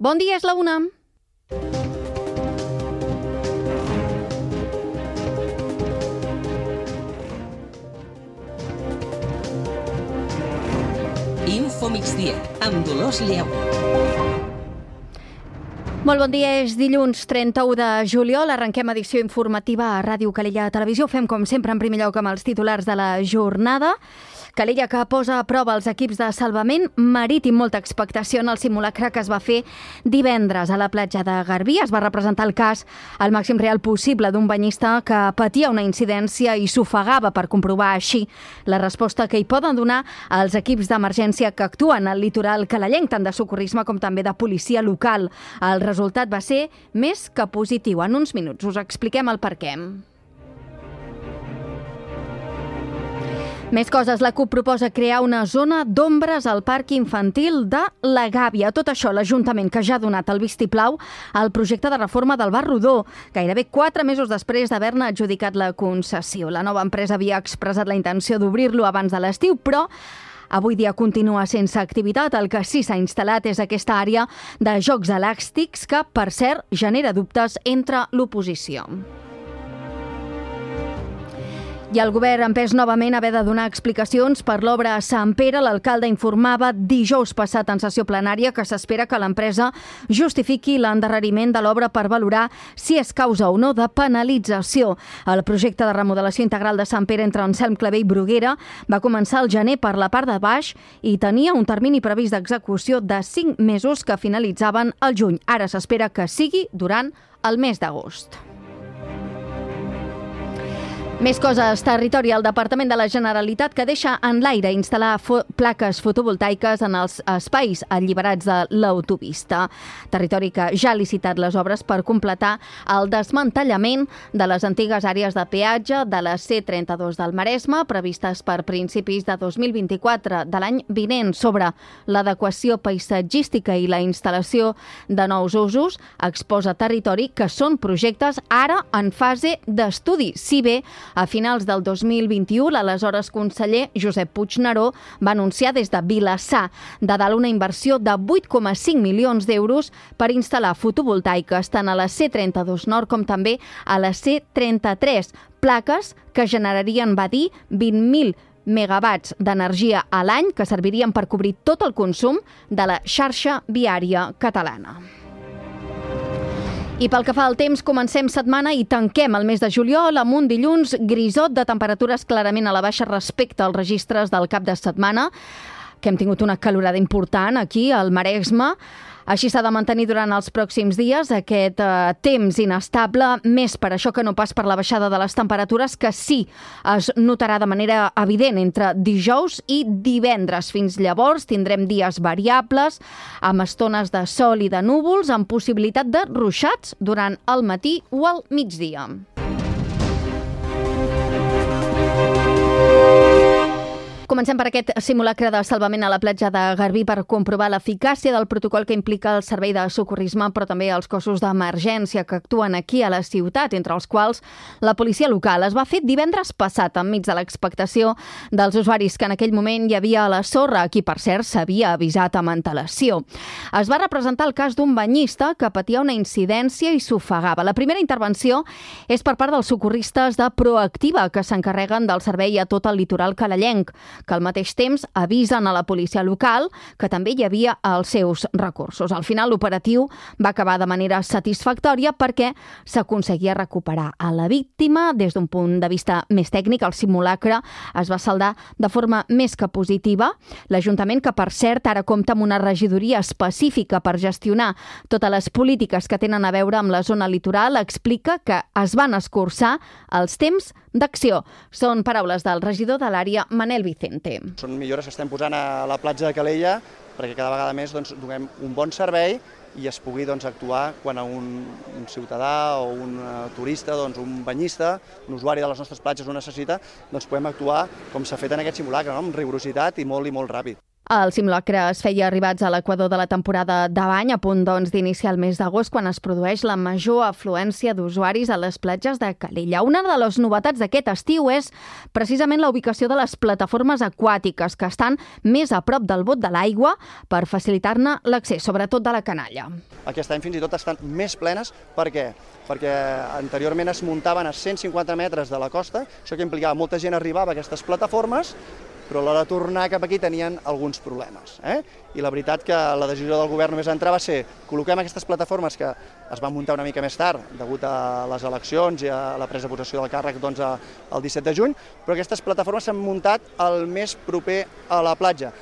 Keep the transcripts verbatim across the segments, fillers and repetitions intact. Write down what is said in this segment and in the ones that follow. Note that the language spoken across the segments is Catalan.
Bon dia, és la una. Info Migdia, amb Dolors Lleó. Molt bon dia, és dilluns trenta-u de juliol. Arrenquem edició informativa a Ràdio Calella Televisió. Ho fem, com sempre, en primer lloc amb els titulars de la jornada. Calella, que posa a prova els equips de salvament marítim. Molta expectació en el simulacre que es va fer divendres a la platja de Garbí. Es va representar el cas al màxim real possible d'un banyista que patia una incidència i s'ofegava, per comprovar així la resposta que hi poden donar els equips d'emergència que actuen al litoral calellenc, tant de socorrisme com també de policia local. El resultat va ser més que positiu. En uns minuts us expliquem el perquè. Més coses. La CUP proposa crear una zona d'ombres al parc infantil de la Gàbia. Tot això l'Ajuntament, que ja ha donat el vistiplau al projecte de reforma del Bar Rodó, gairebé quatre mesos després d'haver-ne adjudicat la concessió. La nova empresa havia expressat la intenció d'obrir-lo abans de l'estiu, però avui dia continua sense activitat. El que sí s'ha instal·lat és aquesta àrea de jocs elàstics que, per cert, genera dubtes entre l'oposició. I el govern ha empès novament haver de donar explicacions per l'obra a Sant Pere. L'alcalde informava dijous passat en sessió plenària que s'espera que l'empresa justifiqui l'endarreriment de l'obra per valorar si és causa o no de penalització. El projecte de remodelació integral de Sant Pere entre Anselm Clavé i Bruguera va començar al gener per la part de baix i tenia un termini previst d'execució de cinc mesos que finalitzaven al juny. Ara s'espera que sigui durant el mes d'agost. Més coses. Territori. El Departament de la Generalitat que deixa en l'aire instal·lar fo- plaques fotovoltaiques en els espais alliberats de l'autopista. Territori que ja ha licitat les obres per completar el desmantellament de les antigues àrees de peatge de la C trenta-dos del Maresme, previstes per principis de dos mil vint-i-quatre de l'any vinent. Sobre l'adequació paisatgística i la instal·lació de nous usos, exposa Territori que són projectes ara en fase d'estudi, si bé a finals del dos mil vint-i-u, l'aleshores conseller Josep Puigneró va anunciar des de Vilassar de Dalt una inversió de vuit coma cinc milions d'euros per instal·lar fotovoltaiques tant a la C trenta-dos Nord com també a la C trenta-tres, plaques que generarien, va dir, vint mil megawatts d'energia a l'any que servirien per cobrir tot el consum de la xarxa viària catalana. I pel que fa al temps, comencem setmana i tanquem el mes de juliol amb un dilluns grisot de temperatures clarament a la baixa respecte als registres del cap de setmana, que hem tingut una calorada important aquí al Maresme. Així s'ha de mantenir durant els pròxims dies aquest eh, temps inestable, més per això que no pas per la baixada de les temperatures, que sí es notarà de manera evident entre dijous i divendres. Fins llavors tindrem dies variables, amb estones de sol i de núvols, amb possibilitat de ruixats durant el matí o el migdia. Comencem per aquest simulacre de salvament a la platja de Garbí per comprovar l'eficàcia del protocol que implica el servei de socorrisme, però també els cossos d'emergència que actuen aquí a la ciutat, entre els quals la policia local. Es va fer divendres passat, enmig de l'expectació dels usuaris que en aquell moment hi havia a la sorra, a qui, per cert, s'havia avisat amb antelació. Es va representar el cas d'un banyista que patia una incidència i s'ofegava. La primera intervenció és per part dels socorristes de Proactiva, que s'encarreguen del servei a tot el litoral calellenc, que al mateix temps avisen a la policia local que també hi havia els seus recursos. Al final, l'operatiu va acabar de manera satisfactòria perquè s'aconseguia recuperar a la víctima. Des d'un punt de vista més tècnic, el simulacre es va saldar de forma més que positiva. L'Ajuntament, que per cert ara compta amb una regidoria específica per gestionar totes les polítiques que tenen a veure amb la zona litoral, explica que es van escurçar els temps d'acció. Són paraules del regidor de l'àrea, Manel Vicente. Són millores que estem posant a la platja de Calella perquè cada vegada més doncs, donem un bon servei i es pugui doncs, actuar quan un, un ciutadà o un uh, turista, doncs, un banyista, un usuari de les nostres platges ho necessita, doncs podem actuar com s'ha fet en aquest simulacre, no? Amb rigorositat i molt i molt ràpid. El simulacre es feia arribats a l'equador de la temporada de bany, a punt doncs, d'iniciar el mes d'agost, quan es produeix la major afluència d'usuaris a les platges de Calella. Una de les novetats d'aquest estiu és precisament la ubicació de les plataformes aquàtiques, que estan més a prop del bot de l'aigua per facilitar-ne l'accés, sobretot de la canalla. Aquest any fins i tot estan més plenes. Per què? Perquè anteriorment es muntaven a cent cinquanta metres de la costa, això que implicava molta gent arribava a aquestes plataformes, però a l'hora de tornar cap aquí tenien alguns problemes. Eh? I la veritat que la decisió del govern només entrar va ser col·loquem aquestes plataformes que es van muntar una mica més tard, degut a les eleccions i a la presa de possessió del càrrec doncs, el disset de juny, però aquestes plataformes s'han muntat el més proper a la platja.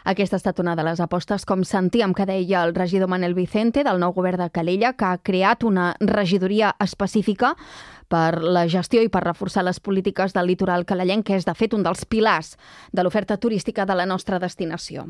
Aquesta ha estat una de les apostes, com sentíem que deia el regidor Manel Vicente del nou govern de Calella, que ha creat una regidoria específica per la gestió i per reforçar les polítiques del litoral calellenc, que és, de fet, un dels pilars de l'oferta turística de la nostra destinació.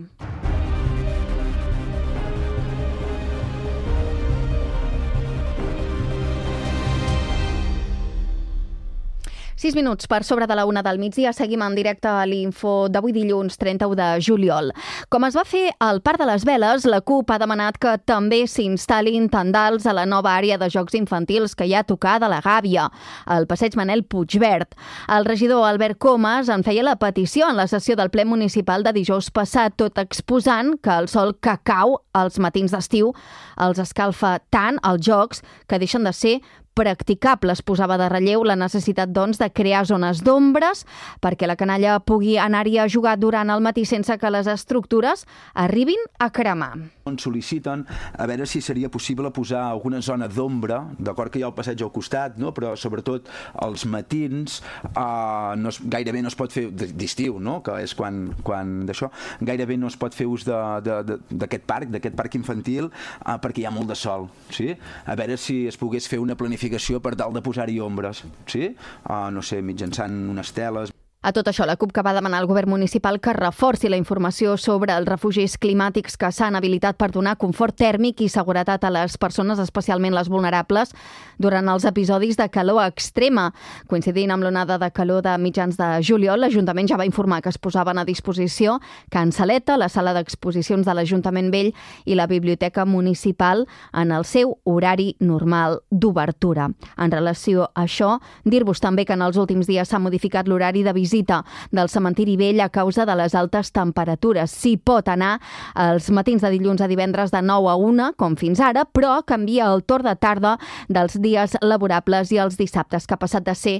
Sis minuts per sobre de la una del migdia. Seguim en directe a l'Info d'avui dilluns trenta-u de juliol. Com es va fer al Parc de les Veles, la CUP ha demanat que també s'instal·lin tendals a la nova àrea de jocs infantils que hi ha a tocar de la Gàbia, al passeig Manel Puigverd. El regidor Albert Comas en feia la petició en la sessió del ple municipal de dijous passat, tot exposant que el sol que cau als matins d'estiu els escalfa tant els jocs que deixen de ser practicables. Posava de relleu la necessitat, doncs, de crear zones d'ombres perquè la canalla pugui anar-hi a jugar durant el matí sense que les estructures arribin a cremar. Ens sol·liciten a veure si seria possible posar alguna zona d'ombra, d'acord que hi ha el passeig al costat, no? Però sobretot als matins eh, no es, gairebé no es pot fer d'estiu, no? Que és quan, quan d'això, gairebé no es pot fer ús d'aquest parc, d'aquest parc infantil, eh, perquè hi ha molt de sol, sí? A veure si es pogués fer una planificació per tal de posar-hi ombres, sí? Uh, no sé, mitjançant unes teles. A tot això, la CUP que va demanar al govern municipal que reforci la informació sobre els refugis climàtics que s'han habilitat per donar confort tèrmic i seguretat a les persones, especialment les vulnerables, durant els episodis de calor extrema. Coincidint amb l'onada de calor de mitjans de juliol, l'Ajuntament ja va informar que es posaven a disposició Can Saleta, la sala d'exposicions de l'Ajuntament Vell i la Biblioteca Municipal en el seu horari normal d'obertura. En relació a això, dir-vos també que en els últims dies s'ha modificat l'horari de visita visita del cementiri vell a causa de les altes temperatures. S'hi pot anar els matins de dilluns a divendres de nou a una, com fins ara, però canvia el torn de tarda dels dies laborables i els dissabtes, que ha passat de ser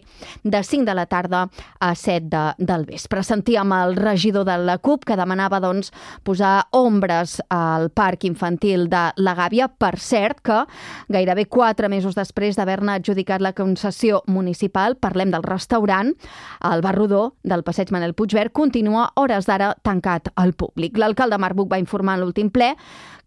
de cinc de la tarda a set de, del vespre. Sentíem el regidor de la CUP que demanava doncs, posar ombres al parc infantil de la Gàbia. Per cert, que gairebé quatre mesos després d'haver-ne adjudicat la concessió municipal, parlem del restaurant, el Bar Rodó del passeig Manel Puigverd continua hores d'ara tancat al públic. L'alcalde Marc Buch va informar en l'últim ple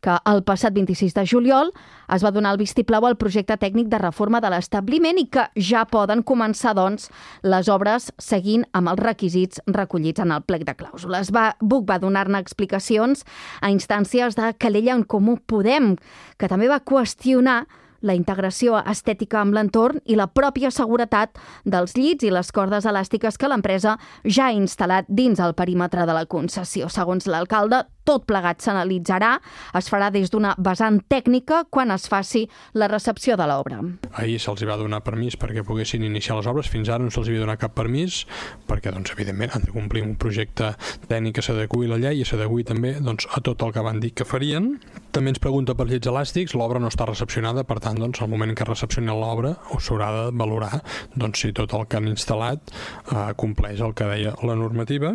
que el passat vint-i-sis de juliol es va donar el vistiplau al projecte tècnic de reforma de l'establiment i que ja poden començar, doncs, les obres seguint amb els requisits recollits en el plec de clàusules. Va, Buch va donar-ne explicacions a instàncies de Calella en Comú Podem, que també va qüestionar la integració estètica amb l'entorn i la pròpia seguretat dels llits i les cordes elàstiques que l'empresa ja ha instal·lat dins el perímetre de la concessió. Segons l'alcalde, tot plegat s'analitzarà, es farà des d'una vessant tècnica quan es faci la recepció de l'obra. Ahir se'ls va donar permís perquè poguessin iniciar les obres, fins ara no se'ls havia donat cap permís, perquè doncs, evidentment han de complir un projecte tècnic que s'adeqüi a la llei i s'adeqüi també doncs, a tot el que van dir que farien. També ens pregunta per llits elàstics, l'obra no està recepcionada, per tant, doncs, al moment que recepcioni l'obra s'haurà de valorar doncs, si tot el que han instal·lat eh, compleix el que deia la normativa.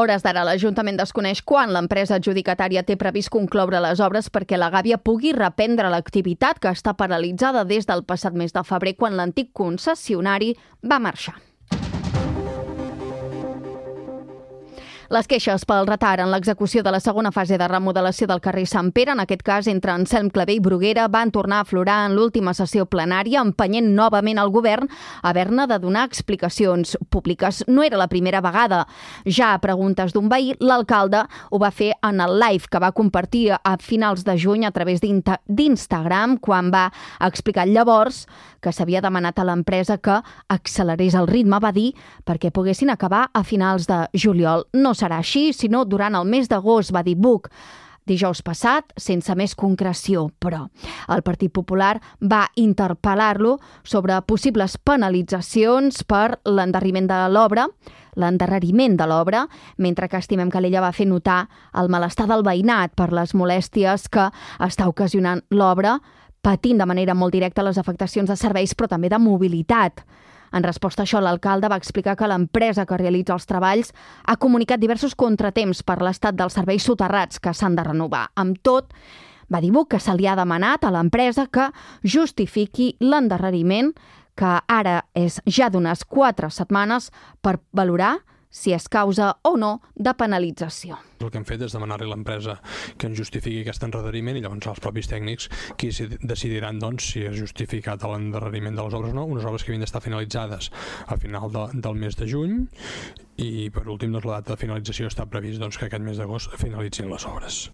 Hores d'ara, l'Ajuntament desconeix quan l'empresa adjudicatària té previst concloure les obres perquè la Gàbia pugui reprendre l'activitat que està paralitzada des del passat mes de febrer, quan l'antic concessionari va marxar. Les queixes pel retard en l'execució de la segona fase de remodelació del carrer Sant Pere, en aquest cas entre Anselm Clavé i Bruguera, van tornar a aflorar en l'última sessió plenària, empenyent novament el govern a haver-ne de donar explicacions públiques. No era la primera vegada. Ja a preguntes d'un veí, l'alcalde ho va fer en el live que va compartir a finals de juny a través d'Instagram, quan va explicar llavors que s'havia demanat a l'empresa que accelerés el ritme, va dir, perquè poguessin acabar a finals de juliol. No serà així, sinó durant el mes d'agost, va dir Buch. Dijous passat, sense més concreció, però el Partit Popular va interpel·lar-lo sobre possibles penalitzacions per l'endarreriment de l'obra, l'endarreriment de l'obra, mentre que estimem que l'ella va fer notar el malestar del veïnat per les molèsties que està ocasionant l'obra, patint de manera molt directa les afectacions de serveis, però també de mobilitat. En resposta a això, l'alcalde va explicar que l'empresa que realitza els treballs ha comunicat diversos contratemps per l'estat dels serveis soterrats que s'han de renovar. Amb tot, va dir Buch que se li ha demanat a l'empresa que justifiqui l'endarreriment, que ara és ja d'unes quatre setmanes, per valorar si és causa o no de penalització. El que hem fet és demanar-li a l'empresa que ens justifiqui aquest endarreriment i llavors els propis tècnics qui decidiran doncs, si és justificat l'endarreriment de les obres o no, unes obres que havien d'estar finalitzades a final de, del mes de juny i per últim doncs, la data de finalització està previst doncs, que aquest mes d'agost finalitzin les obres.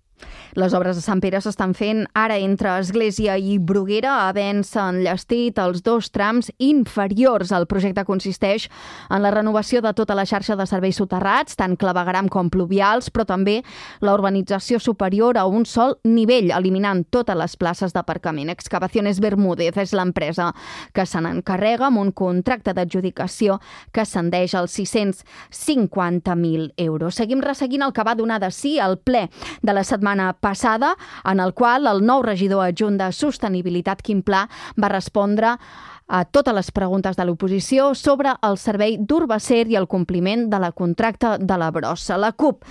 Les obres de Sant Pere s'estan fent ara entre Església i Bruguera, havent-se enllestit els dos trams inferiors. El projecte consisteix en la renovació de tota la xarxa de serveis soterrats, tant clavegueram com pluvials, però també la urbanització superior a un sol nivell, eliminant totes les places d'aparcament. Excavaciones Bermúdez és l'empresa que se n'encarrega amb un contracte d'adjudicació que ascendeix als sis-cents cinquanta mil euros. Seguim resseguint el que va donar de si al ple de la setmana passada, en el qual el nou regidor adjunt de Sostenibilitat, Quim Pla, va respondre a totes les preguntes de l'oposició sobre el servei d'Urbacer i el compliment de la contracta de la brossa. La CUP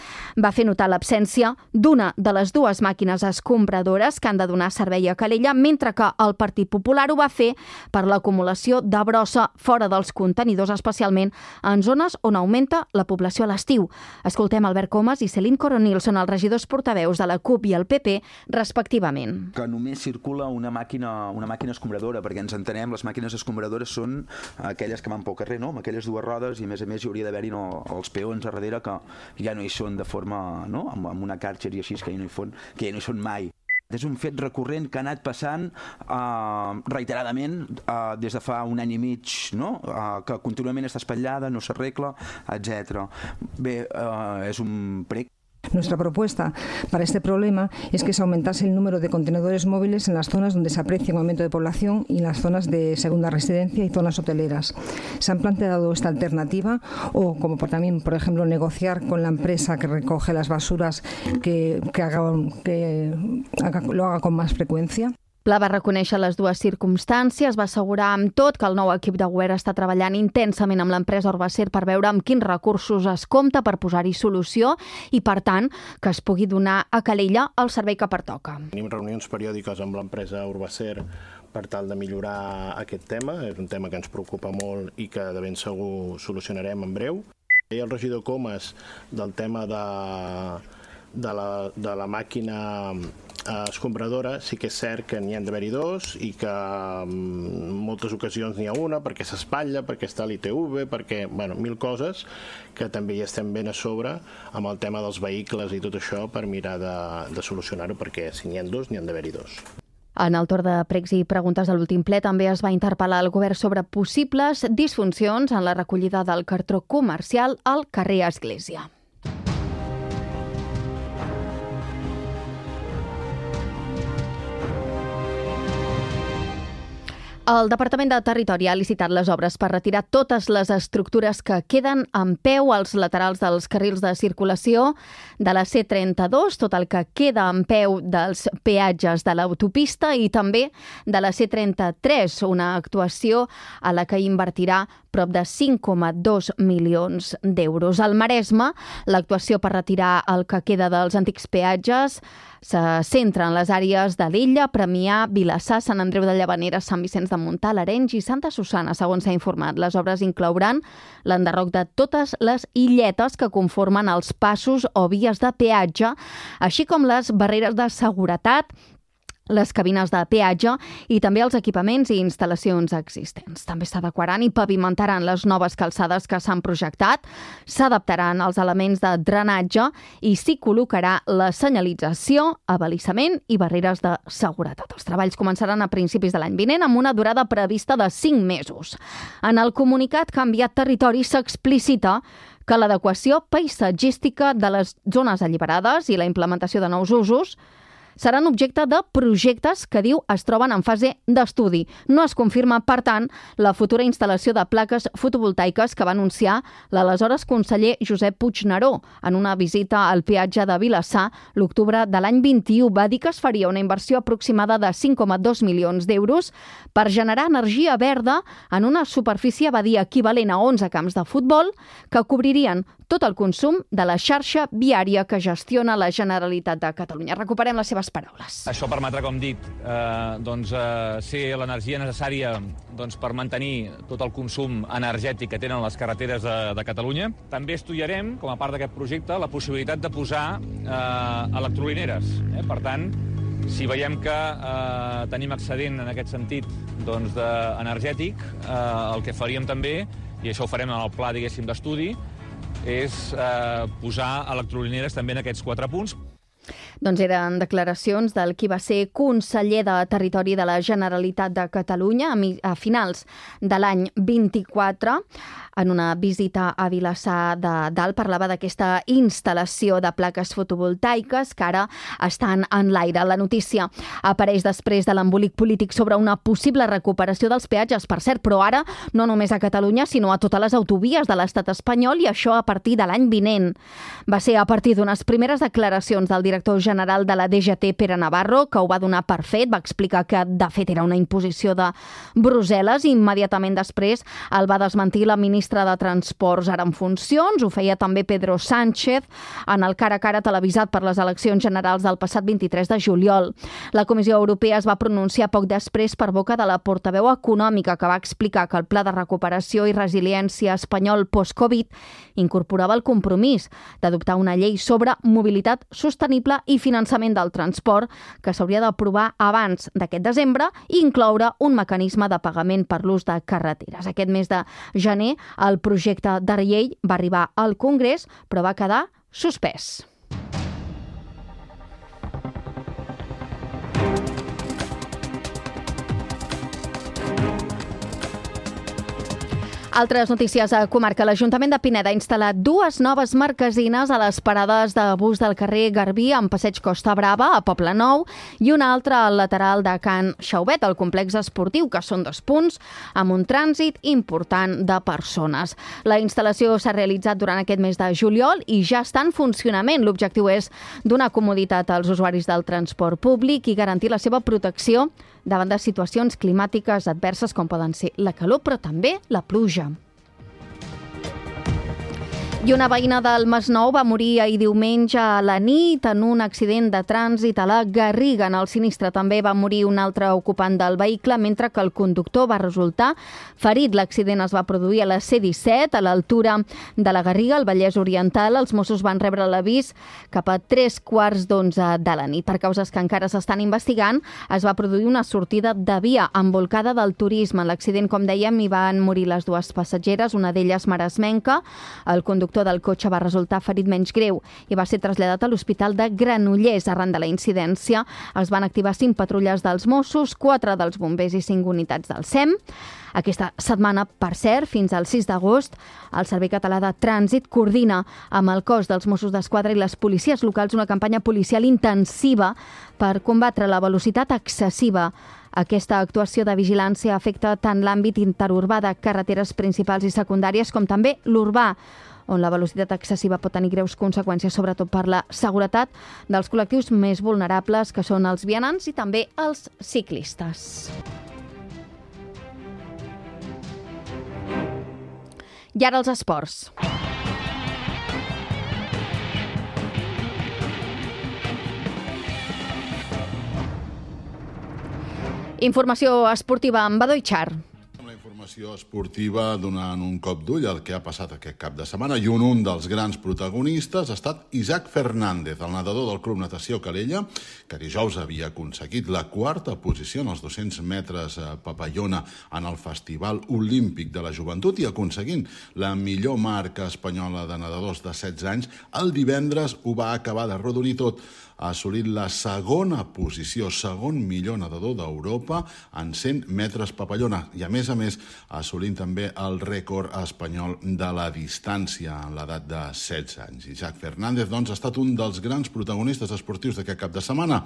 va fer notar l'absència d'una de les dues màquines escombradores que han de donar servei a Calella, mentre que el Partit Popular ho va fer per l'acumulació de brossa fora dels contenidors, especialment en zones on augmenta la població a l'estiu. Escoltem Albert Comas i Céline Coronil, són els regidors portaveus de la CUP i el P P, respectivament. Que només circula una màquina, una màquina escombradora, perquè ens entenem, les màquines escombradores són aquelles que van pel carrer, no? Amb aquelles dues rodes, i a més a més hi hauria d'haver-hi no, els peons a darrere que ja no hi són de forma, no? amb, amb una càrcer i així, que ja no hi, fon, que ja no hi són mai. És un fet recurrent que ha anat passant uh, reiteradament uh, des de fa un any i mig, no? uh, que contínuament està espatllada, no s'arregla, etcètera. Bé, uh, és un prec. Nuestra propuesta para este problema es que se aumentase el número de contenedores móviles en las zonas donde se aprecia un aumento de población y en las zonas de segunda residencia y zonas hoteleras. Se han planteado esta alternativa o como por, también, por ejemplo, negociar con la empresa que recoge las basuras que, que, haga, que haga, lo haga con más frecuencia. Pla va reconèixer les dues circumstàncies, va assegurar amb tot que el nou equip de govern està treballant intensament amb l'empresa Urbacer per veure amb quins recursos es compta per posar-hi solució i, per tant, que es pugui donar a Calella el servei que pertoca. Tenim reunions periòdiques amb l'empresa Urbacer per tal de millorar aquest tema. És un tema que ens preocupa molt i que de ben segur solucionarem en breu. I el regidor Comas del tema de, de, la, de la màquina escombradora, sí que és cert que n'hi ha d'haver-hi dos i que en moltes ocasions n'hi ha una perquè s'espatlla, perquè està a l'I T V, perquè, bueno, mil coses que també hi estem ben a sobre amb el tema dels vehicles i tot això per mirar de, de solucionar-ho, perquè si n'hi ha dos, n'hi ha d'haver-hi dos. En el torn de pregs i preguntes de l'últim ple també es va interpel·lar el govern sobre possibles disfuncions en la recollida del cartró comercial al carrer Església. El Departament de Territori ha licitat les obres per retirar totes les estructures que queden en peu als laterals dels carrils de circulació de la C trenta-dos, tot el que queda en peu dels peatges de l'autopista i també de la C trenta-tres, una actuació a la que invertirà prop de cinc coma dos milions d'euros. Al Maresme, l'actuació per retirar el que queda dels antics peatges se centra en les àrees de l'Illa, Premià, Vilassar, Sant Andreu de Llavaneres, Sant Vicenç de Montalt, Arenys i Santa Susanna, segons s'ha informat. Les obres inclouran l'enderroc de totes les illetes que conformen els passos o vies de peatge, així com les barreres de seguretat les cabines de peatge i també els equipaments i instal·lacions existents. També s'adequaran i pavimentaran les noves calçades que s'han projectat, s'adaptaran els elements de drenatge i s'hi col·locarà la senyalització, abalisament i barreres de seguretat. Els treballs començaran a principis de l'any vinent amb una durada prevista de cinc mesos. En el comunicat Canviat Territori s'explicita que l'adequació paisatgística de les zones alliberades i la implementació de nous usos seran objecte de projectes que, diu, es troben en fase d'estudi. No es confirma, per tant, la futura instal·lació de plaques fotovoltaiques que va anunciar l'aleshores conseller Josep Puigneró en una visita al peatge de Vilassar l'octubre de l'any vint-i-u. Va dir que es faria una inversió aproximada de cinc coma dos milions d'euros per generar energia verda en una superfície, va dir, equivalent a onze camps de futbol que cobririen tot el consum de la xarxa viària que gestiona la Generalitat de Catalunya. Recuperem les seves paraules. Això permetrà, com dic, eh, doncs, eh, ser l'energia necessària doncs, per mantenir tot el consum energètic que tenen les carreteres de, de Catalunya. També estudiarem, com a part d'aquest projecte, la possibilitat de posar eh, electrolineres. Eh? Per tant, si veiem que eh, tenim excedent en aquest sentit doncs, de, energètic, eh, el que faríem també, i això ho farem en el pla, diguéssim, d'estudi, és eh, posar electrolineres també en aquests quatre punts. Doncs eren declaracions del qui va ser conseller de Territori de la Generalitat de Catalunya a finals de l'any vint-i-quatre. En una visita a Vilassar de Dalt parlava d'aquesta instal·lació de plaques fotovoltaiques que ara estan en l'aire. La notícia apareix després de l'embolic polític sobre una possible recuperació dels peatges, per cert, però ara no només a Catalunya, sinó a totes les autovies de l'estat espanyol, i això a partir de l'any vinent. Va ser a partir d'unes primeres declaracions del director general de la D G T, Pere Navarro, que ho va donar per fet, va explicar que de fet era una imposició de Brussel·les i immediatament després el va desmentir la ministra de Transports ara en funcions. Ho feia també Pedro Sánchez en el cara a cara televisat per les eleccions generals del passat vint-i-tres de juliol. La Comissió Europea es va pronunciar poc després per boca de la portaveu econòmica, que va explicar que el Pla de Recuperació i Resiliència espanyol post-Covid incorporava el compromís d'adoptar una llei sobre mobilitat sostenible i finançament del transport que s'hauria d'aprovar abans d'aquest desembre i incloure un mecanisme de pagament per l'ús de carreteres. Aquest mes de gener el projecte de llei va arribar al Congrés, però va quedar suspès. Altres notícies a comarca. L'Ajuntament de Pineda ha instal·lat dues noves marquesines a les parades de bus del carrer Garbí en Passeig Costa Brava, a Poble Nou, i una altra al lateral de Can Xaubet, al complex esportiu, que són dos punts amb un trànsit important de persones. La instal·lació s'ha realitzat durant aquest mes de juliol i ja està en funcionament. L'objectiu és donar comoditat als usuaris del transport públic i garantir la seva protecció davant de situacions climàtiques adverses com poden ser la calor, però també la pluja. I una veïna del Masnou va morir ahir diumenge a la nit en un accident de trànsit a la Garriga. En el sinistre també va morir un altre ocupant del vehicle, mentre que el conductor va resultar ferit. L'accident es va produir a la C disset, a l'altura de la Garriga, al Vallès Oriental. Els Mossos van rebre l'avís cap a tres quarts d'onze de la nit. Per causes que encara s'estan investigant, es va produir una sortida de via envolcada del turisme. En l'accident, com dèiem, hi van morir les dues passatgeres, una d'elles maresmenca. El conductor del cotxe va resultar ferit menys greu i va ser traslladat a l'Hospital de Granollers. Arran de la incidència es van activar cinc patrulles dels Mossos, quatre dels bombers i cinc unitats del S E M. Aquesta setmana, per cert, fins al sis d'agost, el Servei Català de Trànsit coordina amb el cos dels Mossos d'Esquadra i les policies locals una campanya policial intensiva per combatre la velocitat excessiva. Aquesta actuació de vigilància afecta tant l'àmbit interurbà de carreteres principals i secundàries com també l'urbà, on la velocitat excessiva pot tenir greus conseqüències, sobretot per la seguretat dels col·lectius més vulnerables, que són els vianants i també els ciclistes. I ara els esports. Informació esportiva amb Badoi Char. informació esportiva donant un cop d'ull al que ha passat aquest cap de setmana, i un, un dels grans protagonistes ha estat Isaac Fernández, el nedador del Club Natació Calella, que dijous havia aconseguit la quarta posició en els dos-cents metres papallona en el Festival Olímpic de la Joventut i aconseguint la millor marca espanyola de nedadors de setze anys. El divendres ho va acabar de rodonir tot, ha assolit la segona posició, segon millor nedador d'Europa en cent metres papallona i, a més a més, assolint també el rècord espanyol de la distància en l'edat de setze anys. Isaac Fernández, doncs, ha estat un dels grans protagonistes esportius d'aquest cap de setmana,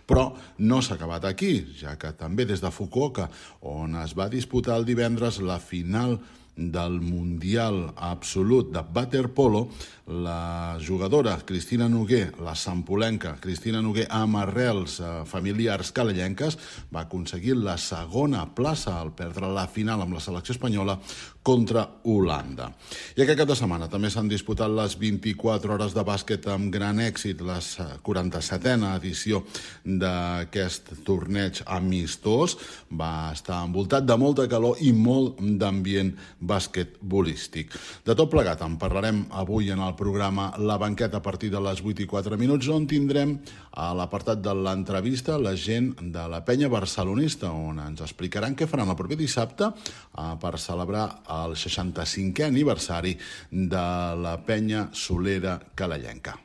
però no s'ha acabat aquí, ja que també des de Fukuoka, on es va disputar el divendres la final del Mundial Absolut de waterpolo, la jugadora Cristina Noguer, la sampolenca Cristina Noguer, amb arrels eh, familiars calellenques, va aconseguir la segona plaça al perdre la final amb la selecció espanyola contra Holanda. I aquest cap de setmana també s'han disputat les vint-i-quatre hores de bàsquet amb gran èxit, la quaranta-setena edició d'aquest torneig amistós. Va estar envoltat de molta calor i molt d'ambient basquetbolístic. De tot plegat en parlarem avui en el programa La Banqueta a partir de les vuit i quatre minuts, on tindrem a l'apartat de l'entrevista la gent de la penya barcelonista, on ens explicaran què faran el proper dissabte per celebrar el seixanta-cinquè aniversari de la penya solera calellenca.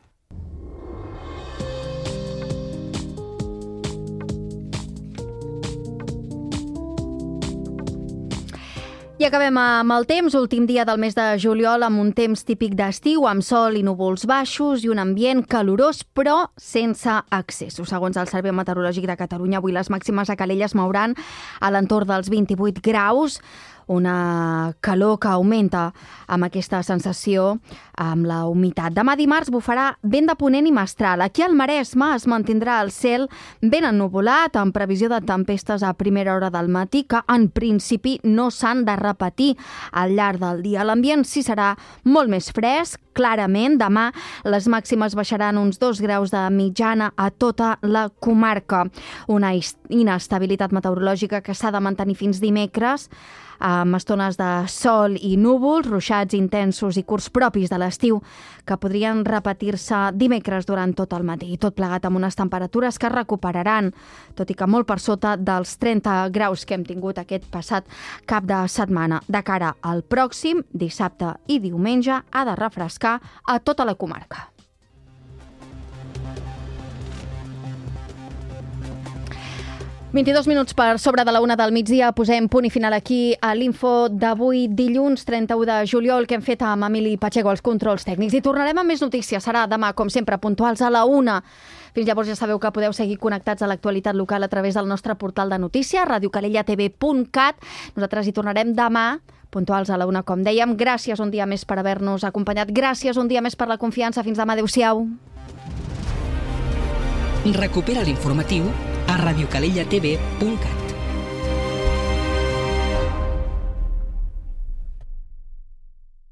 I acabem amb el temps, últim dia del mes de juliol, amb un temps típic d'estiu, amb sol i núvols baixos i un ambient calorós, però sense excessos. Segons el Servei Meteorològic de Catalunya, avui les màximes a Calella es mouran a l'entorn dels vint-i-vuit graus, una calor que augmenta amb aquesta sensació, amb la humitat. Demà dimarts bufarà vent de ponent i mestral. Aquí al Maresme es mantindrà el cel ben ennuvolat, amb previsió de tempestes a primera hora del matí, que en principi no s'han de repetir al llarg del dia. L'ambient sí serà molt més fresc, clarament. Demà les màximes baixaran uns dos graus de mitjana a tota la comarca. Una inestabilitat meteorològica que s'ha de mantenir fins dimecres, amb estones de sol i núvols, ruixats intensos i curts propis de l'estiu que podrien repetir-se dimecres durant tot el matí. Tot plegat amb unes temperatures que es recuperaran, tot i que molt per sota dels trenta graus que hem tingut aquest passat cap de setmana. De cara al pròxim dissabte i diumenge ha de refrescar a tota la comarca. vint-i-dos minuts per sobre de la una del migdia. Posem punt i final aquí a l'info d'avui, dilluns trenta-u de juliol, que hem fet amb Emili Pacheco als controls tècnics. I tornarem amb més notícies. Serà demà, com sempre, puntuals a la una. Fins llavors ja sabeu que podeu seguir connectats a l'actualitat local a través del nostre portal de notícies, radio calella t v punt cat. Nosaltres hi tornarem demà, puntuals a la una, com dèiem. Gràcies un dia més per haver-nos acompanyat. Gràcies un dia més per la confiança. Fins demà. Adéu-siau. Recupera l'informatiu a radio calella t v punt cat.